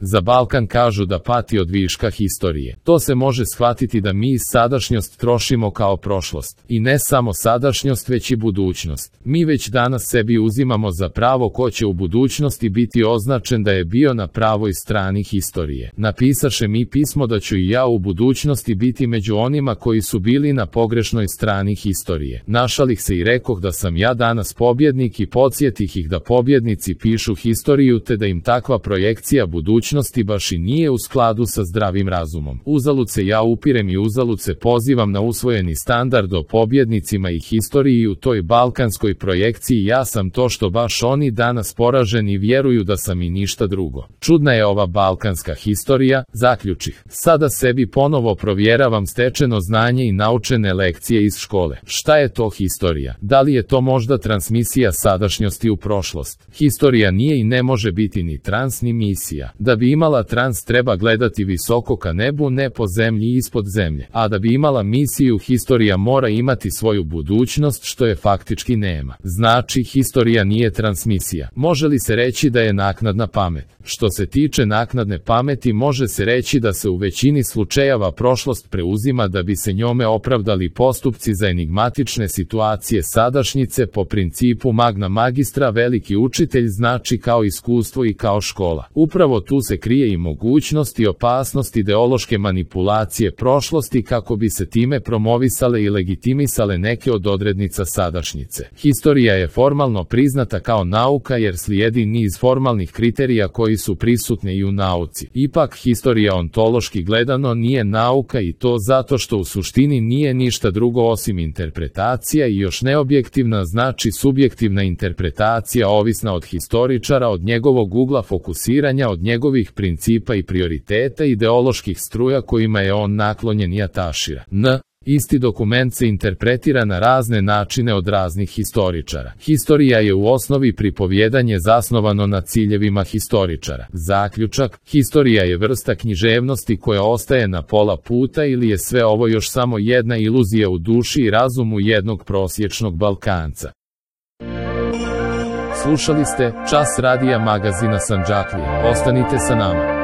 Za Balkan kažu da pati od viška historije. To se može shvatiti da mi sadašnjost trošimo kao prošlost. I ne samo sadašnjost, već i budućnost. Mi već danas sebi uzimamo za pravo ko će u budućnosti biti označen da je bio na pravoj strani historije. Napisaše mi pismo da ću i ja u budućnosti biti među onima koji su bili na pogrešnoj strani historije. Našalih se i rekoh da sam ja danas pobjednik i podsjetih ih da pobjednici pišu historiju te da im takva projekcija budućnosti baš i nije u skladu sa zdravim razumom. Uzalud se ja upirem i uzalud se pozivam na usvojeni standard o pobjednicima i historiji u toj balkanskoj projekciji. Ja sam to što baš oni danas poraženi i vjeruju da sam i ništa drugo. Čudna je ova balkanska historija, zaključih. Sada sebi ponovo provjeravam stečeno znanje i naučene lekcije iz škole. Šta je to historija? Da li je to možda transmisija sadašnjosti u prošlost? Historija nije i ne može biti ni trans ni misija. Da bi imala trans treba gledati visoko ka nebu, ne po zemlji i ispod zemlje. A da bi imala misiju, historija mora imati svoju budućnost, što je faktički nema. Znači, historija nije transmisija. Može li se reći da je naknadna pamet? Što se tiče naknadne pameti, može se reći da se u većini slučajeva prošlost preuzima da bi se njome opravdali postupci za enigmatične situacije sadašnjice po principu magna magistra. Veliki učitelj znači kao iskustvo i kao škola. Upravo tu se krije i mogućnost i opasnost ideološke manipulacije prošlosti kako bi se time promovisale i legitimisale neke od odrednica sadašnjice. Historija je formalno priznata kao nauka jer slijedi niz formalnih kriterija koji su prisutni i u nauci. Ipak historija ontološki gledano nije nauka i to zato što u suštini nije ništa drugo osim interpretacija i još neobjektivna, znači subjektivna interpretacija ovisna od historičara, od njegovog ugla fokusiranja, od njegovih principa i prioriteta ideoloških struja kojima je on naklonjen i atašira. Isti dokument se interpretira na razne načine od raznih historičara. Historija je u osnovi pripovjedanje zasnovano na ciljevima historičara. Zaključak: historija je vrsta književnosti koja ostaje na pola puta ili je sve ovo još samo jedna iluzija u duši i razumu jednog prosječnog Balkanca. Slušali ste Čas radija magazina Sandžaklija. Ostanite sa nama.